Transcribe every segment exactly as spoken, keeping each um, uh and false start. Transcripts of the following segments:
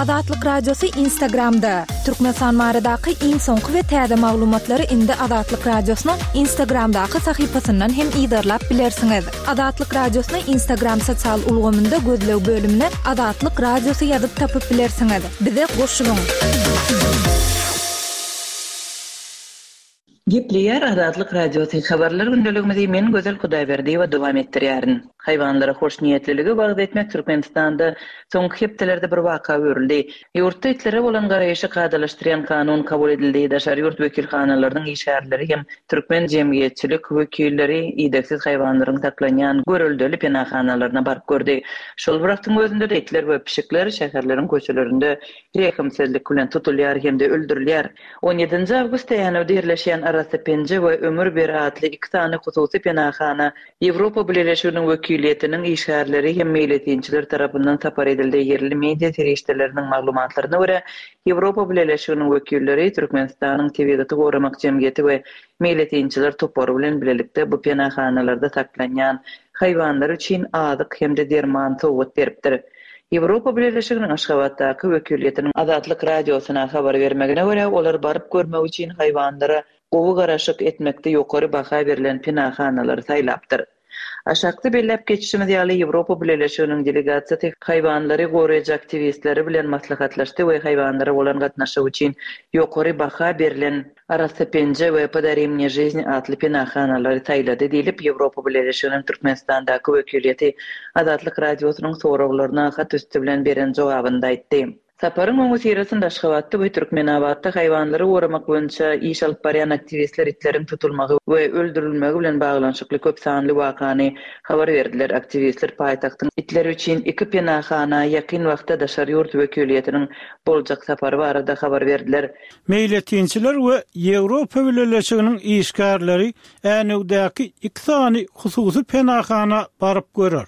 Azatlyk Radiosy Instagramda. Türkmenistan baradaky iň soňky we täze maglumatlary indi Azatlyk Radiosynyň Instagramdaky sahypasyndan hem yzarlap bilersiňiz. Azatlyk Radiosyny Instagram sosial ulgamynda gözleg bölümine Azatlyk Radiosy ýazyp tapyp bilersiňiz. Bize goşulyň. Gepleýär Azatlyk Radiosy habarlar gündeligimizi men Gözel Hudaýberdiýewa dowam etdirýärin. Haýwanlara hoşniýetliligi wagyz etmek Türkmenistanda soňky hepdelerde bir waka öwrüldi. Ýurtda itlere bolan garaýşy kadalaşdyrýan kanun kabul edildi. Daşary ýurt wekilhanalarynyň işgärleri hem türkmen jemgyýetçilik wekilleri idegsiz haýwanlaryň saklanýan göreldeli penahanalaryna baryp gördi. Şol bir wagtyň özünde itler we pişikler şäherleriň köçelerinde rehimsizlik bilen tutulýar hem-de öldürilýär. on ýedinji awgustda Änewde ýerleşýän Arassa Penje we Ömür ber atly iki sany hususy penahana Ýewropa Bileleşiginiň wekiliýetiniň işgärleri hem meýletinçiler tarapyndan sapar edildi. Ýerli media serişdeleriniň maglumatlaryna görä, Ýewropa Bileleşiginiň wekilleri Türkmenistanyň Tebigaty goramak jemgyýeti we meýletinçiler topary bilen bilelikde bu penahanalarda saklanýan haýwanlar üçin azyk hem-de derman sowgat beripdir. Ýewropa Bileleşiginiň Aşgabatdaky wekiliýetiniň Azatlyk Radiosyna habar bermegine görä, olar baryp görmek üçin haýwanlara gowy garaşyk etmekde ýokary baha berlen penahanalary saýlapdyr. Aşakda belläp geçişimiz ýaly Ýewropa Bileleşiginiň delegasiýasy haýwanlary goraýjy aktiwistleri bilen maslahatlaşdy we haýwanlara bolan gatnaşyk üçin ýokary baha berlen Arassa Penje we Podari mne жизнь atly penahanalary saýlady diýlip Ýewropa Bileleşiginiň Türkmenistandaky wekiliýeti Azatlyk Radiosynyň soraglaryna hat üsti bilen beren jogabynda aýtdy. Saparyň öňüsyrasynda Aşgabatda we Türkmenabatda haýwanlary goramak boýunça iş alyp barýan aktiwistler itleriň tutulmagy we öldürilmegi bilen baglanyşykly köp sanly wakany habar berdiler. Aktiwistler paýtagtyň itleri üçin iki penahana ýakyn wagtda daşary ýurt wekiliýetiniň boljak sapary barada habar berdiler. Meýletinçiler we Ýewropa Bileleşiginiň işgärleri Änewdäki iki sany hususy penahana baryp görer.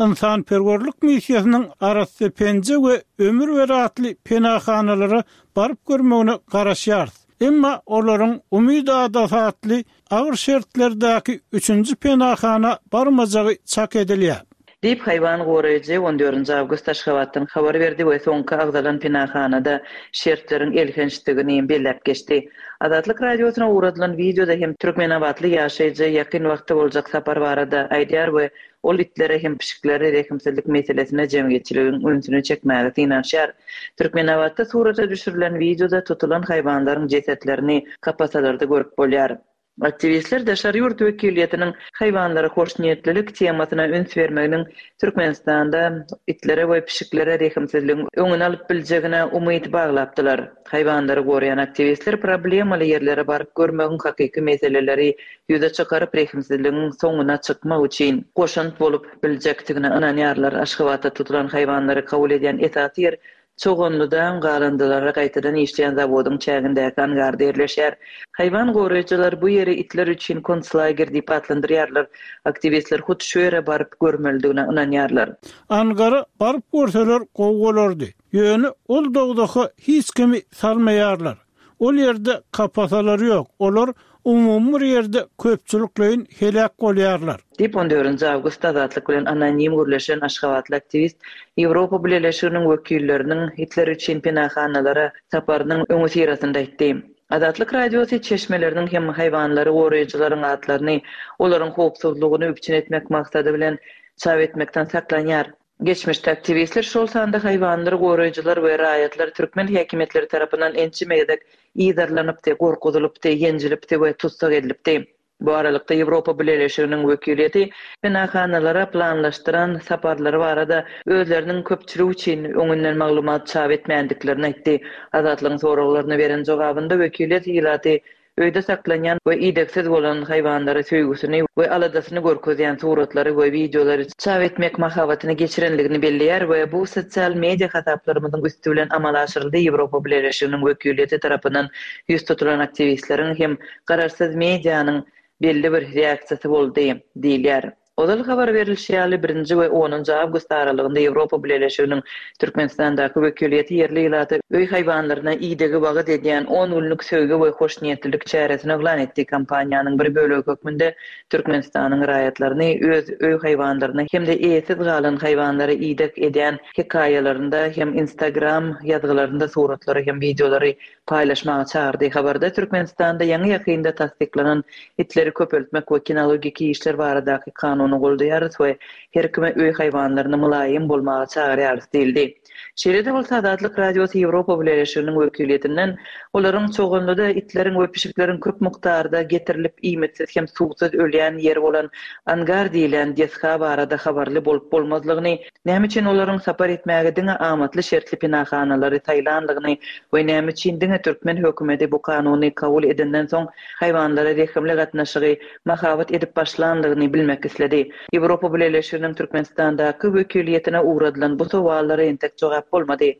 Ynsanperwerlik missiýasynyň Arassa Penje we Ömür ber atly penahanalara baryp görmegine garaşýarys. Emma olaryň Umyt adasy atly agyr şertlerdäki üçünji penahana barmajagy çak edilýär. Diýip haýwan goraýjy on dördünji awgust Aşgabatdan habar berdi we soňky agzalan penahanada şertleriň elhençdigini belläp geçdi. Azatlyk Radiosyna ugradylan wideoda hem Türkmenabatly ýaşaýjy ýakyn wagtda boljak sapar barada aýdýar we ol itlere hem pişiklere rehimsizlik meselesine jemgyýetçiligiň ünsüni çekmäge synanyşýar. Türkmenabatda surata düşürilen wideoda tutulan haýwanlaryň jesetlerini kapasalarda görüp bolýar. Aktiwistler daşary ýurt wekiliýetiniň haýwanlara hoşniýetlilik temasyna üns bermeginiň Türkmenistanda itlere we pişiklere rehimsizligiň öňüni alyp biljegine umyt baglapdylar. Haýwanlary goraýan aktiwistler problemaly ýerlere baryp görmegiň hakyky meseleleri ýüze çykaryp rehimsizligiň soňuna çykmak üçin goşant bolup biljekdigine ynanýarlar. Aşgabatda tutulan haýwanlary kabul edýän esasy ýer Çoganlydan galandylara gaýtadan işleýän zawodyň çägindäki angarda ýerleşýär. Haýwan goraýjylar bu ýeri itler üçin konslager diýip atlandyrýarlar. Aktiwistler hut şu ýere baryp görmelidigine ynanýarlar. Angara baryp görseler gowy bolardy. Ýöne ol dogdaha hiç kimi salmaýarlar. Ol ýerde kapasalar ýok. Olar umumy bir ýerde köpçülikleýin heläk bolýarlar. Diýip on dördünji awgustda Azatlyk bilen anonim gürleşen Aşgabatly aktiwist Ýewropa Bileleşiginiň wekilleriniň itler üçin penahanalara saparynyň öňüsyrasynda aýtdy. Azatlyk Radiosy çeşmeleriniň hem haýwanlary goraýjylaryň atlaryny olaryň howpsuzlygyny üpjün etmek maksady bilen çap etmekden saklanýar. Geçmişde aktiwistler şol sanda haýwanlary goraýjylar we raýatlar türkmen häkimiýetleri tarapyndan ençeme gezek yzarlanypdy, gorkuzylypdy, ýenjilipdi we tussag edilipdi. Bu aralykda Ýewropa Bileleşiginiň wekiliýeti penahanalara planlaşdyran saparlary barada özleriniň köpçülik üçin öňünden maglumat çap etmändiklerini aýtdy. Azatlygyň soraglaryna beren jogabynda wekiliýet ilaty öýde saklanýan we idegsiz bolan haýwanlara söýgüsini we aladasyny görkezýän suratlary we wideolary çap etmek mahabatyny geçirenligini belleýär we bu sosial media hasaplarymyzyň üsti bilen amala aşyryldy. Ýewropa Bileleşiginiň wekiliýeti tarapyndan ýüz tutulan aktiwistleriň hem garaşsyz medianyň belli bir reaksiýasy boldy diýilýär. Ozal habar berlişi ýaly, birinji we onunjy awgust aralygynda Ýewropa Bileleşiginiň Türkmenistandaky wekiliýeti ýerli ilata öý haýwanlaryna idegi wagyz edýän on günlük söýgi we hoşniýetlilik çäresini yglan etdi. Kampaniýanyň bir bölegi hökmünde Türkmenistanyň raýatlaryny öz öý haýwanlaryna hem-de eýesiz galan haýwanlara ideg edýän hekaýalarynda hem Instagram ýazgylarynda suratlary hem wideolary paýlaşmaga çagyrdy. Habarda Türkmenistanda ýaňy-ýakynda tassyklanan itleri köpeltmek we kinologiki işler baradaky kanuny goldaýarys we her kime öý haýwanlaryna mylaýym bolmaga çagyrýarys diýildi. Şeýle-de bolsa Azatlyk Radiosy Ýewropa Bileleşiginiň wekiliýetinden olaryň Çoganlyda itleriň we pişikleriň köp mukdarda getirilip iýmitsiz hem suwsuz ölýän ýeri bolan angar diýilýän desga barada habarly bolup bolmazlygyny, näme üçin olaryň sapar etmäge diňe amatly şertli penahanalary saýlanlygyny we näme üçin diňe türkmen hökümeti bu kanuny kabul edenden soň haýwanlara rehimli gatnaşygy mahabat edip başlanlygyny bilmek isledi. Ýewropa Bileleşiginiň Türkmenistandaky wekiliýetine ugradylan bu sowallara entek jogap bolmady.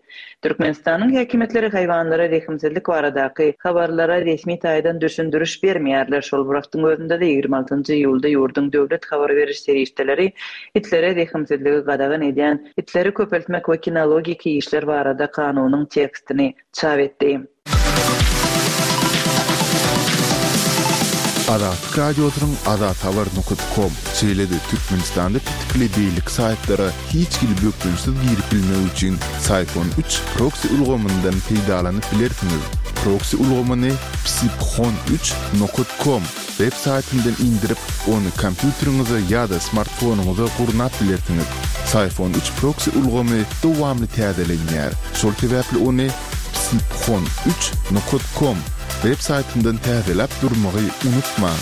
Türkmenistanyň häkimiýetleri haýwanlara rehimsizlik baradaky habarlara resmi taýdan düşündiriş bermeýärler. Şol bir wagtyň özünde-de ýigrimi altynjy iýulda ýurduň döwlet habar beriş serişdeleri itlere rehimsizligi gadagan edýän itleri köpeltmek we kinologiki işler barada kanunyň tekstini çap etdi. Azatlyk Radiosynyň azathabar nokta com, şeýle-de Türkmenistanda petikli beýleki saýtlara hiç hili bökdençsiz girip bilmek üçin Syphon üç proksi ulgamyndan peýdalanyp bilersiňiz. Proksi ulgamyny psiphon üç nokta com web saýtyndan indirip, ony kompýuteriňize ýa-da smartfonyňyza gurnap bilersiňiz. Syphon üç proksi ulgamy dowamly täzelenýär. Şol sebäpli ony psiphon üç nokta com web saýtyndan täzeläp durmagy unutmaň.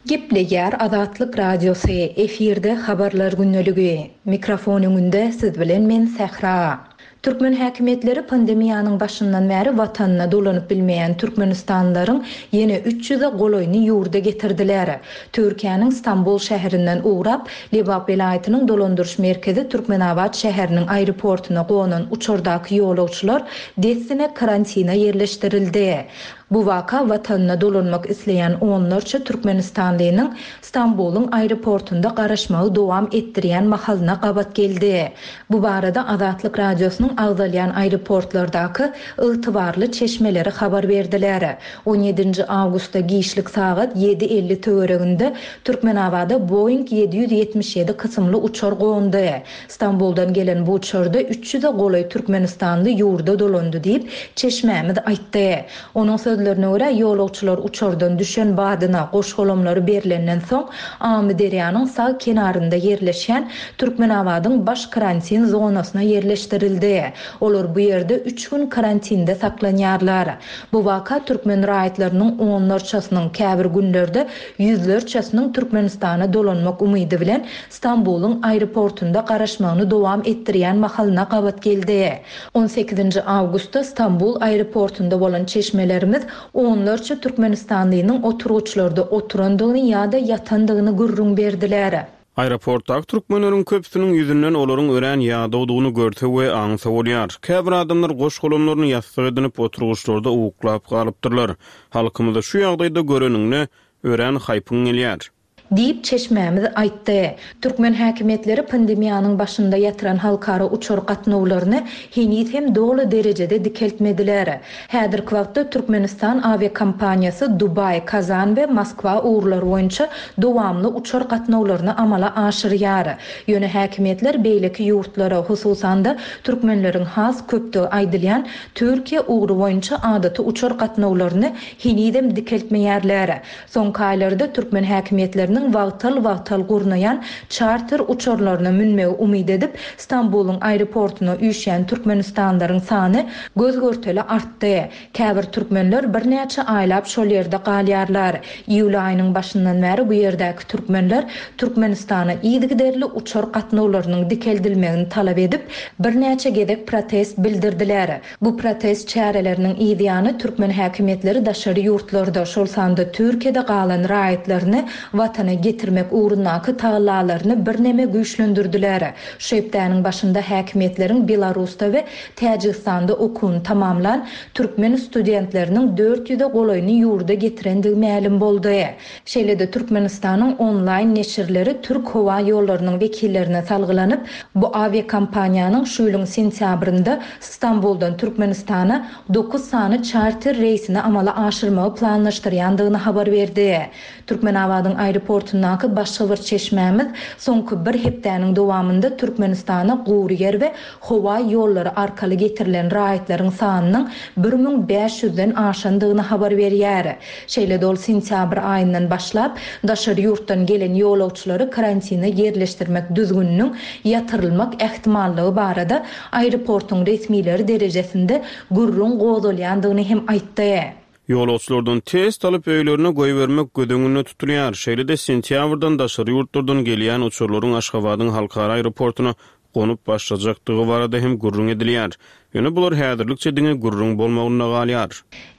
Gepleýär Azatlyk Radiosy, efirde habarlar gündeligi. Mikrofon öňünde siz bilen men Sähra. Türkmen häkimiýetleri pandemiýanyň başyndan bäri watanyna dolanyp bilmeýän Türkmenistanlylaryň ýene üç ýüze golaýyny ýurda getirdiler. Türkiýäniň Stambul şäherinden ugrap, Lebap welaýatynyň dolandyryş merkezi Türkmenabat şäheriniň aeroportuna gonan uçardaky ýolagçylar dessine karantina ýerleşdirildi. Bu waka watanyna dolanmak isleýän onlarça Türkmenistanlynyň Stambulyň aeroportunda garaşmagy dowam etdirýän mahalyna gabat geldi. Bu barada Azatlyk Radiosynyň agzalýan aeroportlardaky ygtybarly çeşmeleri habar berdiler. on ýedinji awgustda giçlik sagat ýedi elli töwereginde Türkmenabada Boeing ýedi ýüz ýetmiş ýedi kysymly uçar gondy. Stambuldan gelen bu uçarda üç ýüze golaý Türkmenistanly ýurda dolandy diýip çeşmämiz aýtdy. Onuň sözlerine görä ýolagçylar uçardan düşen badyna goşgolamlary berlenden soň Amyderýanyň sag kenarynda ýerleşen Türkmenabadyň baş karantin zonasyna ýerleşdirildi. Olar bu ýerde üç gün karantinde saklanýarlar. Bu waka türkmen raýatlarynyň onlarçasynyň käbir günlerde ýüzlerçesiniň Türkmenistana dolanmak umydy bilen Stambulyň aeroportunda garaşmagyny dowam etdirýän mahalyna gabat geldi. on sekizinji awgustda Stambul aeroportunda bolan çeşmelerimiz onlarça Türkmenistanlynyň oturgyçlarda oturandygyny ýa-da ýatandygyny gürrüň berdiler. Aeroportdaky türkmenleriň köpüsiniň ýüzünden olaryň örän ýadawdygyny görse we aňsa bolýar. Käbir adamlar goş-golamlaryny ýassyk edinip oturgyçlarda uklap galypdyrlar. Halkymyzy şu ýagdaýda göreninde örän haýpyň gelýär. Diýip çeşmämiz aýtdy. Türkmen häkimiýetleri pandemiýanyň başynda ýatyran halkara uçar gatnawlaryny heniz hem doly derejede dikeltmediler. Häzirki wagtda Türkmenistan awiakompaniýasy Dubaý, Kazan we Moskwa ugurlary boýunça dowamly uçar gatnawlaryny amala aşyrýar. Ýöne häkimiýetler beýleki ýurtlara, hususan-da türkmenleriň has köpdügi aýdylýan Türkiýe ugry boýunça adaty uçar gatnawlaryny henizem dikeltmeýärler. Soňky aýlarda türkmen häkimiýetleriniň wagtal-wagtal gurnaýan çarter uçarlaryna münmegi umyt edip, Stambulyň aeroportuna üýşýän Türkmenistanlaryň sany göz-görtele artdy. Käbir türkmenler birnäçe aýlap şol ýerde galýarlar. Iýul aýynyň başyndan bäri bu ýerdäki türkmenler Türkmenistana yzygiderli uçar gatnawlarynyň dikeldilmegini talap edip, birnäçe gezek protest bildirdiler. Bu protest çäreleriniň yzýany türkmen häkimiýetleri daşary ýurtlarda, şol sanda Türkiýede galan raýatlaryny watana Türkmenistana getirmek ugrundaky tagallalaryny birneme güýçlendirdiler. Şu hepdäniň başynda häkimiýetleriň Belarusda we Täjigistanda okuwyny tamamlan türkmen studentleriniň dört ýüze golaýyny ýurda getirendigi mälim boldy. Şeýle-de Türkmenistanyň onlaýn neşirleri Türk howa ýollarynyň wekillerine salgylanyp, bu awiakompaniýanyň şu ýylyň sentýabrynda Stambuldan Türkmenistana dokuz sany çarter reýsini amala aşyrmagy planlaşdyrýandygyny habar berdi. Türkmenabadyň aeroportundaky başga bir çeşmämiz soňky bir hepdäniň dowamynda Türkmenistana gury ýer we howa ýollary arkaly getirilen raýatlaryň sanynyň bir müň bäş ýüzden aşandygyny habar berýär. Şeýle-de ol sentýabr aýyndan başlap daşary ýurtdan gelen ýolagçylary karantine ýerleşdirmek düzgüniniň ýatyrylmak ähtimallygy barada aeroportuň resmileri derejesinde gürrüň gozgalýandygyny hem aýtdy. Ýolagçylardan test alyp öýlerine goýbermek göz öňünde tutulýar. Şeýle-de sentýabrdan daşary ýurtlardan gelýän uçarlaryň Aşgabadyň halkara aeroportuna gonup başlajakdygy barada hem gürrüň edilýär. Ýöne bular häzirlikçe diňe gürrüň bolmagynda galýar.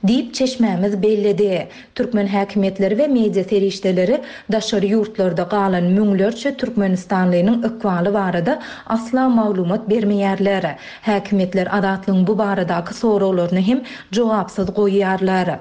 Diýip çeşmämiz belledi. Türkmen häkimiýetleri we media serişdeleri daşary ýurtlarda galan müňlerçe türkmenistanlynyň ykbaly barada asla maglumat bermeýärler. Häkimiýetler Azatlygyň bu baradaky soraglaryny hem jogapsyz goýýarlar.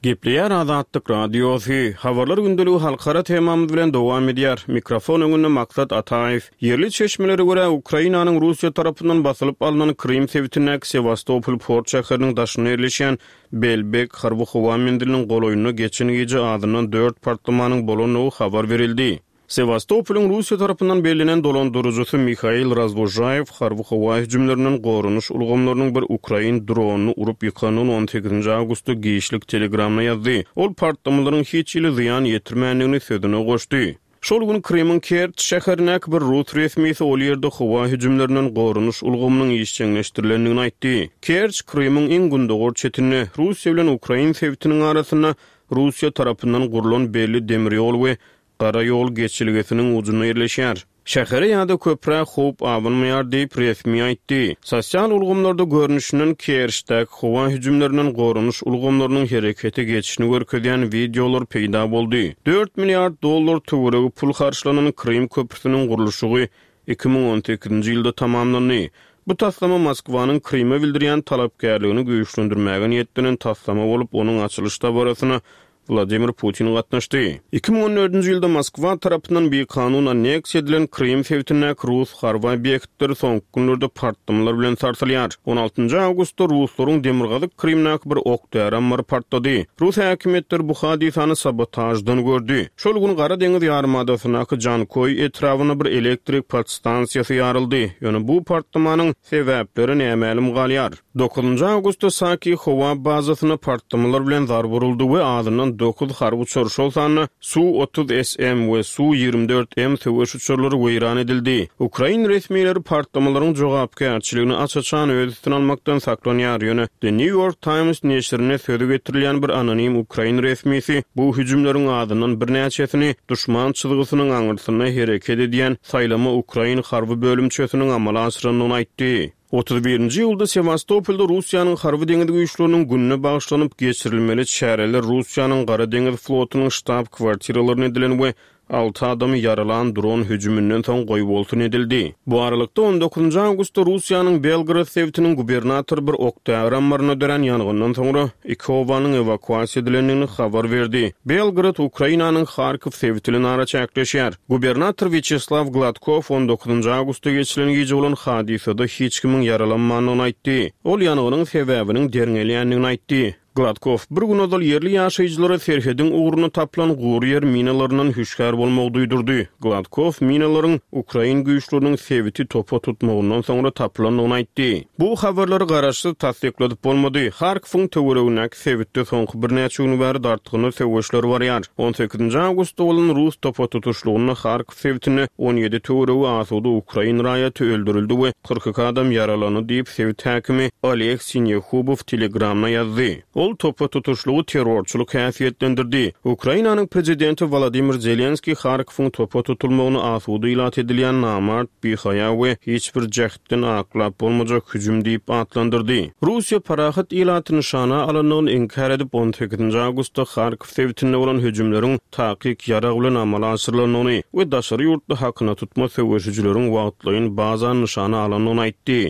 Gepleýär Azatlyk Radiosy. Habarlar gündeligi halkara temamyz bilen dowam edýär. Mikrofon öňünde Maksat Ataýew. Ýerli çeşmelere görä Ukrainanyň Russiýa tarapyndan basylyp alnan Krym sebitindäki Sewastopol port şäheriniň daşynda ýerleşýän Belbek harby howa menziliniň golaýynda geçen gije azyndan dört partlamanyň bolandygy habar berildi. Sewastopolyň Russiýa tarapyndan bellenen dolandyryjysy Mihail Razvojayew harby howa hüjümlerinden goranyş ulgamlarynyň bir ukrain dronyny urup ýykandygyny on sekizinji awgustda giçlik Telegramda ýazdy. Ol partlamalaryň hiç hili zyýan ýetirmändigini sözüne goşdy. Şol gün Krymyň Kerç şäherindäki bir rus resmisi ol ýerde howa hüjümlerinden goranyş ulgamynyň işjeňleşdirilendigini aýtdy. Kerç Krymyň iň gündogar çetinde Russiýa bilen Ukrain sebitiniň arasynda Russiýa tarapyndan gurlan belli demir ýol we gara ýol geçilgesiniň ucunda ýerleşýär. Şähere ýa-da köprä howp abanmaýar diýip resmi aýtdy. Sosial ulgamlarda görnüşinden Kerçdäki howa hüjümlerinden goranyş ulgamlarynyň herekete geçişini görkezýän wideolar peýda boldy. Dört milliard dollar töweregi pul harçlanan Krym köprüsiniň gurluşygy iki müň on sekizinji ýylda tamamlandy. Bu taslama Moskwanyň Kryma bildirýän talapkärligini güýçlendirmäge niýetlenen taslama bolup, onuň açylyş dabarasyna Vladimir Putin gatnaşdy. Iki müň on dördünji ýylda Moskwa tarapyndan bir kanun anneksiýa edilen Krym sebitindäki rus harby obýektleri soňky günlerde partlamalar bilen sarsylýar. On altynjy awgustda ruslaryň demirgazyk Krymdaky bir ok-däri ammary partlady. Rus häkimiýetleri bu hadysany sabotajdan gördi. Şol gün Gara deňiz ýarymadasyndaky Jankoý etrabynda bir elektrik podstansiýasy ýaryldy. Ýöne bu partlamanyň sebäpleri nämälim galýar. Dokuzynjy awgustda Saki howa bazasyna partlamalar bilen zarba uruldy we azyndan dokuz harby uçar, şol sanda Su otuz S M we Su ýigrimi dört M söweş uçarlary weýran edildi. Ukrain resmileri partlamalaryň jogapkärçiligini aç-açan öz üstüne almakdan saklanýar. Ýöne The New York Times neşirine sözü getirilýän bir anonim ukrain resmisi bu hüjümleriň azyndan birnäçesini duşman çyzgysynyň aňyrsynda hereket edýän saýlama ukrain harby bölümçesiniň amala aşyrandygyny aýtdy. Otuz birinji ýylda Sewastopolda Russiýanyň harby deňiz güýçleriniň gününe bagyşlanyp geçirilmeli çäreler Russiýanyň Gara deňiz flotunyň ştab kwartiralaryna edilen we alty adamy ýaralan dron hüjüminden soň goýbolsun edildi. Bu aralykda on dokuzynjy awgustda Russiýanyň Belgorod sebitiniň gubernatory bir ok-däri ammaryna dörän ýangyndan soňra iki obanyň ewakuasiýa edilendigini habar berdi. Belgorod Ukrainanyň Harkov sebiti bilen araçäkleşýär. Gubernator Vyacheslav Gladkov on dokuzynjy awgustda geçirilen gije bolan hadysada hiç kimiň ýaralanmandygyny aýtdy. Ol ýangynyň sebäbiniň derňelýändigini aýtdy. Gladkov bir gün ozal ýerli ýaşaýjylara serhediň ugruna tapylan gury ýer minalaryndan hüşgär bolmagy duýdurdy. Gladkov minalaryň ukrain güýçleriniň sebiti topa tutmagyndan soňra tapylandygyny aýtdy. Bu habarlary garaşsyz tassykladyp bolmady. Harkowyň töweregindäki sebitde soňky birnäçe gün bäri dartgynly söweşler barýar. On sekizinji awgustda bolan rus topa tutuşlygynda Harkov sebitinde on ýedi töweregi asuda ukrain raýaty öldürildi we kyrk iki adam ýaralandy diýip sebit häkimi Oleg Sinýehubow Telegramda ýazdy. Ol topa tutuşlygy terrorçylyk häsiýetlendirdi. Ukrainanyň prezidenti Wladimir Zelenskiý Harkowyň topa tutulmagyny asuda ilat edilýän namart, bihaýa we hiç bir jähtden aklap bolmajak hüjüm diýip atlandyrdy. Russiýa parahat ilaty nyşana alandygyny inkär edip on sekizinji awgustda Harkow sebitinde bolan hüjümleriň takyk ýarag bilen amala aşyrylandygyny we daşary ýurtly hakyna tutma söweşijileriň wagtlaýyn bazan nyşana alandygyny aýtdy.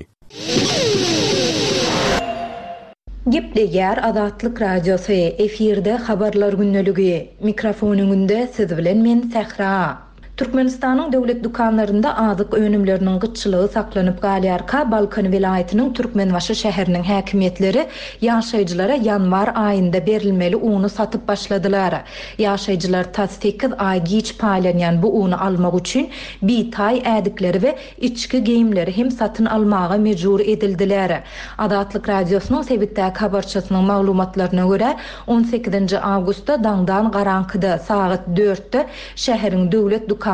Gepleýär Azatlyk Radiosy, efirde habarlar gündeligi. Mikrofon öňünde siz bilen men Sähra. Türkmenistanyň döwlet dükanlarynda azyk önümleriniň gytçylygy saklanyp galýarka, Balkan welaýatynyň Türkmenbaşy şäheriniň häkimiýetleri ýaşaýjylara ýanwar aýynda berilmeli uny satyp başladylar. Ýaşaýjylar tas sekiz aý giç paýlanýan bu uny almak üçin bitaý ädikleri we içki geýimleri hem satyn almaga mejbur edildiler. Azatlyk Radiosynyň sebitdäki habarçysynyň maglumatlaryna görä, on sekizinji awgustda daňdan garaňkyda sagat dörtde şäheriň döwlet dükanlary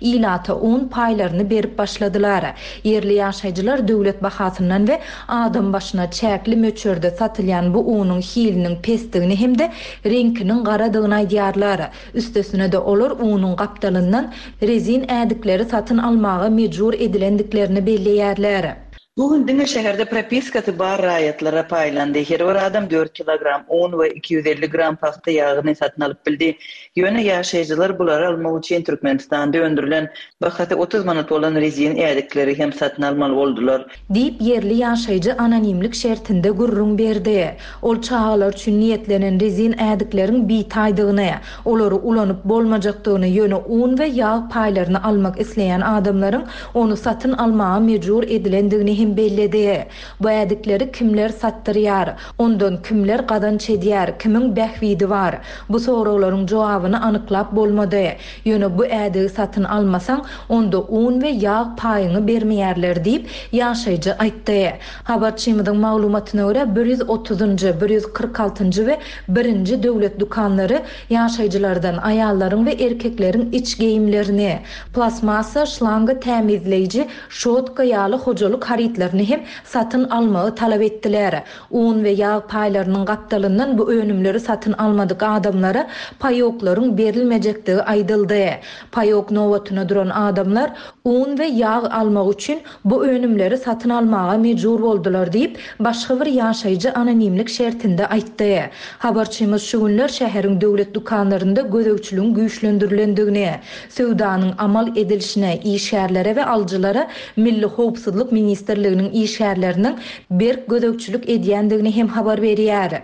ilata un paýlaryny berip başladylar. Ýerli ýaşaýjylar döwlet bahasyndan we adam başyna çäkli möçberde satylýan bu unuň hiliniň pesdigini hem-de reňkiniň garadygyny aýdýarlar. Üstesine de olar unuň gapdalyndan rezin ädikleri satyn almaga mejbur edilendiklerini belleýärler. Bu gün diňe şäherde propiskasy bar raýatlara paýlandy. Her bir adam dört kilogram un we iki ýüz elli gram pagta ýagyny satyn alyp bildi. Ýöne ýaşaýjylar bulary almak üçin Türkmenistanda öndürilen bahasy otuz manat bolan rezin ädikleri hem satyn almaly boldular. Diýip ýerli ýaşaýjy anonimlik şertinde gürrüň berdi. Ol çagalar üçin niýetlenen rezin ädikleriň bitaýdygyny, olary ulanyp bolmajakdygyny, ýöne un we ýag paýlaryny almak isleýän adamlaryň ony satyn almaga mejbur edilendigini hem belledi. Bu ädikleri kimler satdyrýar, ondan kimler gazanç edýär, kimiň bähbidi bar? Bu soraglaryň jogabyny anyklap bolmady. Ýöne bu ädigi satyn almasaň, onda un we ýag paýyňy bermeýärler diýip ýaşaýjy aýtdy. Habarçymyzyň maglumatyna görä bir ýüz otuzynjy, bir ýüz kyrk altynjy we birinji döwlet dükanlary ýaşaýjylardan aýallaryň we erkekleriň iç geýimlerini, plastmassa, şlanga tämizleýji, şotka ýaly hojalyk harytlaryny hem satyn almagy talap etdiler. Un we ýag paýlarynyň gapdalyndan bu önümleri satyn almadyk adamlara paýoklaryň berilmejekdigi aýdyldy. Paýok nobatyna duran adamlar un we ýag almak üçin bu önümleri satyn almaga mejbur boldular diýip, başga bir ýaşaýjy anonimlik şertinde aýtdy. Habarçymyz şu günler şäheriň döwlet dükanlarynda gözegçiligiň güýçlendirilendigini, söwdanyň amal edilişine, işgärlere we alyjylara Milli Howpsuzlyk Ministrliginiň işgärleriniň berk gözegçilik edýändigini hem habar berýär.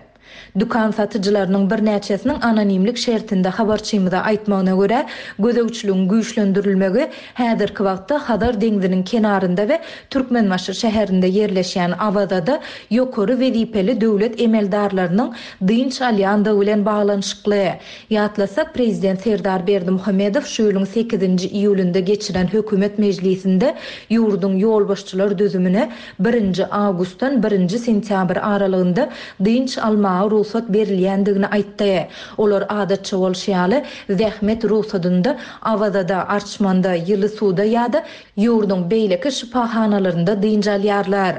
Dükan satyjylarynyň birnäçesiniň anonimlik şertinde habarçymyza aýtmagyna görä, gözegçiligiň güýçlendirilmegi häzirki wagtda Hazar deňziniň kenarynda we Türkmenbaşy şäherinde ýerleşýän Awazada ýokary wezipeli döwlet emeldarlarynyň dynç alýandygy bilen baglanyşykly. Ýatlasak, Prezident Serdar Berdimuhamedow şu ýylyň sekizinji iýulynda geçiren hökümet mejlisinde ýurduň ýolbaşçylar düzümine birinji awgustdan birinji sentýabr aralygynda dynç almaga rugsat berilýändigini aýtdy. Olar adatça bolşy ýaly zähmet rugsadynda Awazada, Arçmanda, Ýyly suwda ýa-da ýurduň beýleki şypahanalarynda dynç alýarlar.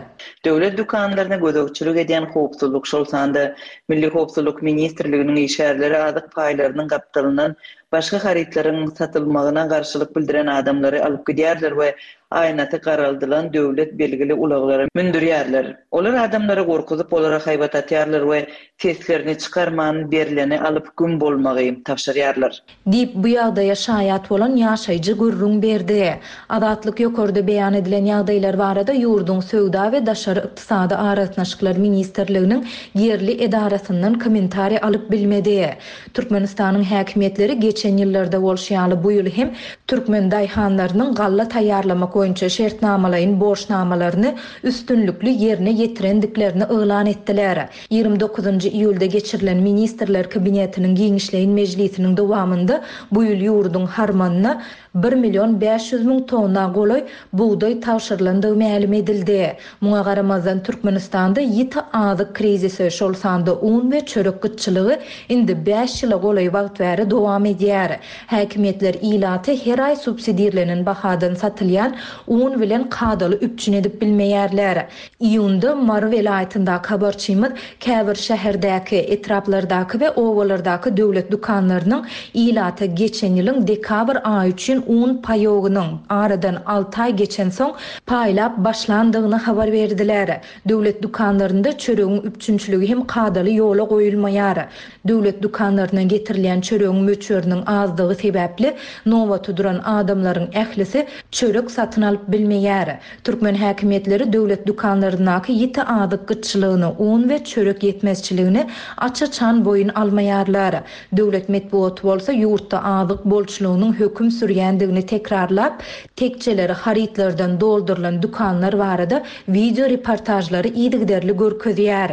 Döwlet dükanlaryna gözegçilik edýän howpsuzlyk, şol sanda Milli Howpsuzlyk Ministrliginiň işgärleri azyk paýlarynyň gapdalyndan başga harytlaryň satylmagyna garşylyk bildiren adamlary alyp gidýärler we aýnaty garaldylan döwlet belgili ulaglara mündürýärler. Olar adamlary gorkuzyp, olara haýbat atýarlar we seslerini çykarman berileni alyp güm bolmagy tabşyrýarlar. Diýip bu ýagdaýa şaýat bolan ýaşaýjy gürrüň berdi. Azatlyk ýokarda beýan edilen ýagdaýlar barada ýurduň Söwda we Daşary Ykdysady Aragatnaşyklar Ministrliginiň ýerli edarasyndan kommentariý alyp bilmedi. Türkmenistanyň häkimiýetleri geçen ýyllarda bolşy ýaly bu ýyl hem türkmen daýhanlarynyň galla taýýarlamak boýunça şertnamalaýyn borçnamalaryny üstünlikli ýerine ýetirendiklerini yglan etdiler. Ýigrimi dokuzynjy iýulda geçirilen Ministrler Kabinetiniň giňişleýin mejlisiniň dowamynda bu ýyl ýurduň harmanyna bir million bäş ýüz müň tonna golaý bugdaý tabşyrylandygy mälim edildi. Muňa Muňa garamazdan Türkmenistanda ýiti azyk krizisi, şol sanda un we çörek gytçylygy indi bäş ýyla golaý wagt bäri dowam edýär. Häkimiýetler ilaty her aý subsidirlenen bahadan satylýan un bilen kadaly üpjün edip bilmeýärler. Iýunda Mary welaýatyndaky habarçymyz käbir şäherdäki, etraplardaky we obalardaky döwlet dükanlarynyň ilata geçen ýylyň dekabr aýy üçin un paýogynyň aradan alty aý geçensoň paýlap başlandygyny habar berdiler. Döwlet dükanlarynda çöregiň üpjünçiligi hem kadaly ýola goýulmaýar. Döwlet dükanlaryna getirilýän çöregiň möçberiniň azdygy sebäpli nobata duran adamlaryň ählisi çörek satyn alyp bilmeýär. Türkmen häkimiýetleri döwlet dükanlaryndaky ýiti azyk gytçylygyny, un we çörek ýetmezçiligini aç-açan boýun almaýarlar. Döwlet metbugaty bolsa ýurtda azyk bolçulygynyň höküm sürýändigini tekrarlap, tekçeleri harytlardan doldurylan dükanlar barada wideo reportajlary yzygiderli görkezýär.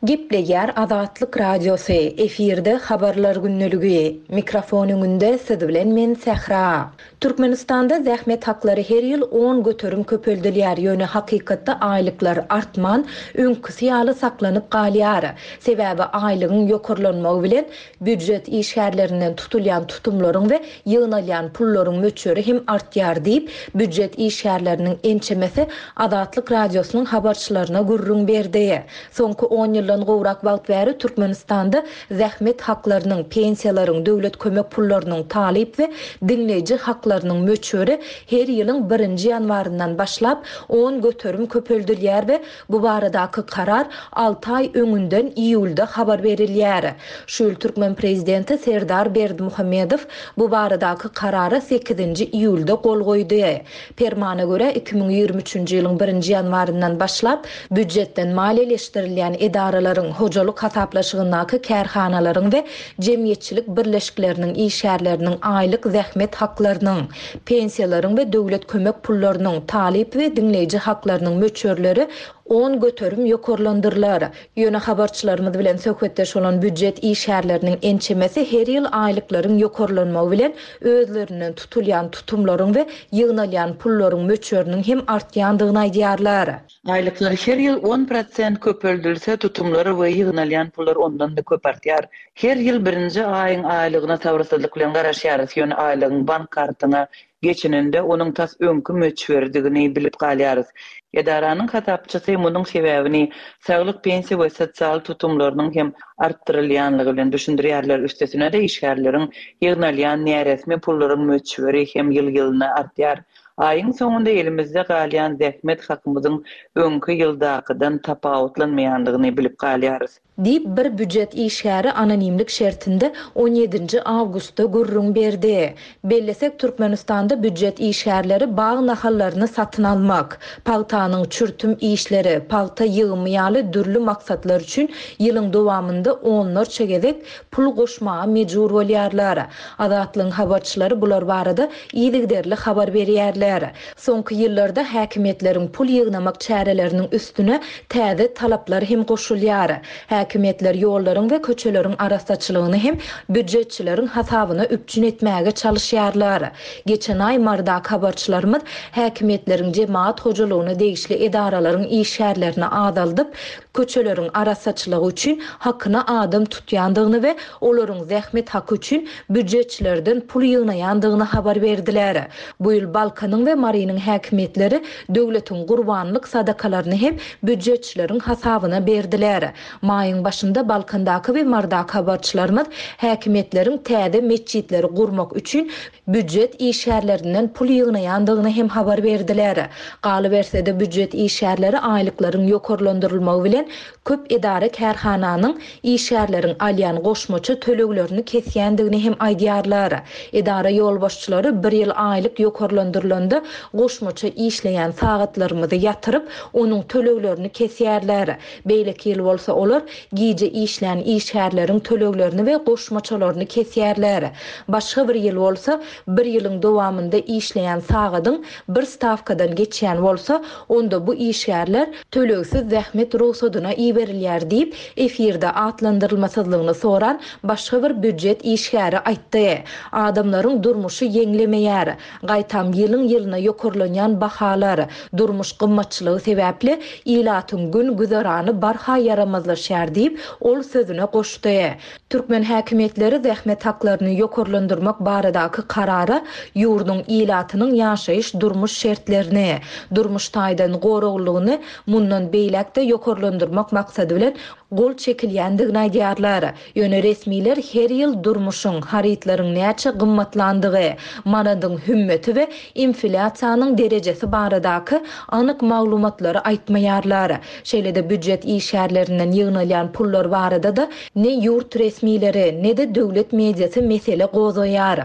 Gepleýär Azatlyk Radiosy, efirde habarlar gündeligi. Mikrofon öňünde siz bilen men Sähra. Türkmenistanda zähmet haklary her ýyl on göterim köpeldilýär, ýöne hakykatda aýlyklar artman, öňküsi ýaly saklanyp galýar. Sebäbi aýlygyň ýokarlanmagy bilen býujet işgärlerinden tutulýan tutumlaryň we ýygnalýan pullaryň möçberi hem artýar diýip, býujet işgärleriniň ençemesi Azatlyk Radiosynyň habarçylaryna gürrüň berdi. Soňky on ýyldan gowrak wagt bäri Türkmenistanda zähmet haklarynyň, pensiýalaryň, döwlet kömek pullarynyň, talyp we diňleýji haklarynyň möçberi her ýylyň birinji ýanwaryndan başlap on göterim köpeldilýär we bu baradaky karar alty aý öňünden iýulda habar berilýär. Şu ýyl Türkmen prezidenti Serdar Berdimuhamedow bu baradaky karara sekizinji iýulda gol goýdy. Permana görä iki müň ýigrimi üçünji ýylyň birinji ýanwaryndan başlap býujetden maliýeleşdirilýän edaralaryň, hojalyk hasaplaşygyndaky kärhanalaryň we jemgyýetçilik birleşikleriniň işgärleriniň aýlyk zähmet haklarynyň, pensiýalaryň we döwlet kömek pullarynyň, talyp we diňleýji haklarynyň möçberleri on göterim ýokarlandyrylar. Ýöne habarçylarymyz bilen söhbetdeş bolan býujet işgärleriniň ençemesi her ýyl aýlyklaryň ýokarlanmagy bilen özlerinden tutulýan tutumlaryň we ýygnalýan pullaryň möçberiniň hem artýandygyny aýdýarlar. Aýlyklar her ýyl on prosent köpeldilse, tutumlary we ýygnalýan pullar ondan da köp artýar. Her ýyl birinji aýyň aýlygyna sabyrsyzlyk bilen garaşýarys. Ýöne aýlygyň bank kartyna geçeninde onuň tas öňkü möçberidigini bilip galýarys. Edaranyň hasapçysy munuň sebäbini saglyk pensiýa we sosial tutumlarynyň hem artdyrylýanlygy bilen düşündirýärler. Üstesine de işgärleriň ýygnalýan näresmi pullaryň möçberi hem ýyl-ýylyna artýar. Aýyň soňunda elimizde galýan zähmet hakymyzyň öňkü ýyldakydan tapawutlanmaýandygyny bilip galýarys. Diýip bir býujet işgäri anonimlik şertinde on ýedinji awgustda gürrüň berdi. Bellesek Türkmenistanda býujet işgärleri bag nahallaryny satyn almak, pagtanyň çürtüm işleri, pagta ýygymy ýaly dürli maksatlar üçin ýylyň dowamynda onlarça gezek pul goşmaga mejbur bolýarlar. Azatlygyň habarçylary bular barada yzygiderli habar berýärler. Soňky ýyllarda häkimiýetleriň pul ýygnamak çäreleriniň üstüne täze talaplar hem goşulýar. Häkimiýetler ýollaryň we köçeleriň arassaçylygyny hem býujetçileriň hasabyna üpjün etmäge çalışýarlar. Geçen aý Mardaky habarçylarymyz häkimiýetleriň jemaat hojalygyna degişli edaralaryň işgärlerini azaldyp, köçeleriň arassaçylygy üçin hakyna adam tutýandygyny we olaryň zähmet haky üçin býujetçilerden pul ýygnaýandygyny habar berdiler. Bu ýyl Balkanyň we Marynyň häkimiýetleri döwletiň gurbanlyk sadakalaryny hem býujetçileriň hasabyna berdiler. Maýyň başynda Balkandaky we Mardaky habarçylarymyz häkimiýetleriň täze metjitleri gurmak üçin býujet işgärlerinden pul ýygnaýandygyny hem habar berdiler. Galyberse-de býujet işgärleri aýlyklaryň ýokarlandyrylmagy bilen köp edara kärhananyň işgärleriň alýan goşmaça töleglerini kesýändigini hem aýdýarlar. Edara ýolbaşçylary bir ýyl aýlyk ýokarlandyrylanda goşmaça işleýän sagatlarymyzy ýatyryp, onuň töleglerini kesýärler. Beýleki ýyl bolsa olar gije işlän işgärleriň töleglerini we goşmaçalaryny kesýärler. Başga bir ýyl bolsa, bir ýylyň dowamynda işleýän sagadyň bir stawkadan geçýän bolsa, onda bu işgärler tölegsiz zähmet rugsadyna iberilýär diýip, efirde atlandyrylmasyzlygyny soran başga bir býujet işgäri aýtdy. Adamlaryň durmuşy ýeňlemeýär. Gaýtam ýylyň-ýylyna ýokarlanýan bahalar, durmuş gymmatçylygy sebäpli ilatyň gün-güzerany barha ýaramazlaşýar diýip, ol sözüne goşdy. Türkmen häkimiýetleri zähmet haklaryny ýokarlandyrmak baradaky karara ýurduň ilatynyň ýaşaýyş-durmuş şertlerini, durmuş taýdan goraglylygyny mundan beýläk-de ýokarlandyrmak maksady bilen gol çekilýändigini aýdýarlar. Ýöne resmiler her ýyl durmuşyň, harytlaryň näçe gymmatlandygy, manadyň hümmeti we inflýasiýanyň derejesi baradaky anyk maglumatlary aýtmaýarlar. Şeýle-de býujet işgärlerinden ýygnalýan pullar barada-da ne ýurt resmileri, ne-de döwlet mediasy mesele gozgaýar.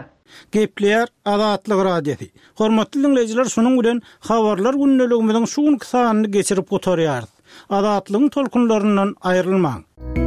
Gepleýär Azatlyk Radiosy. Hormatly diňleýjiler, şunuň bilen Habarlar gündeligimiziň şu günki sanyny geçirip gutarýarys. Azatlygyň tolkunlaryndan aýrylmaň!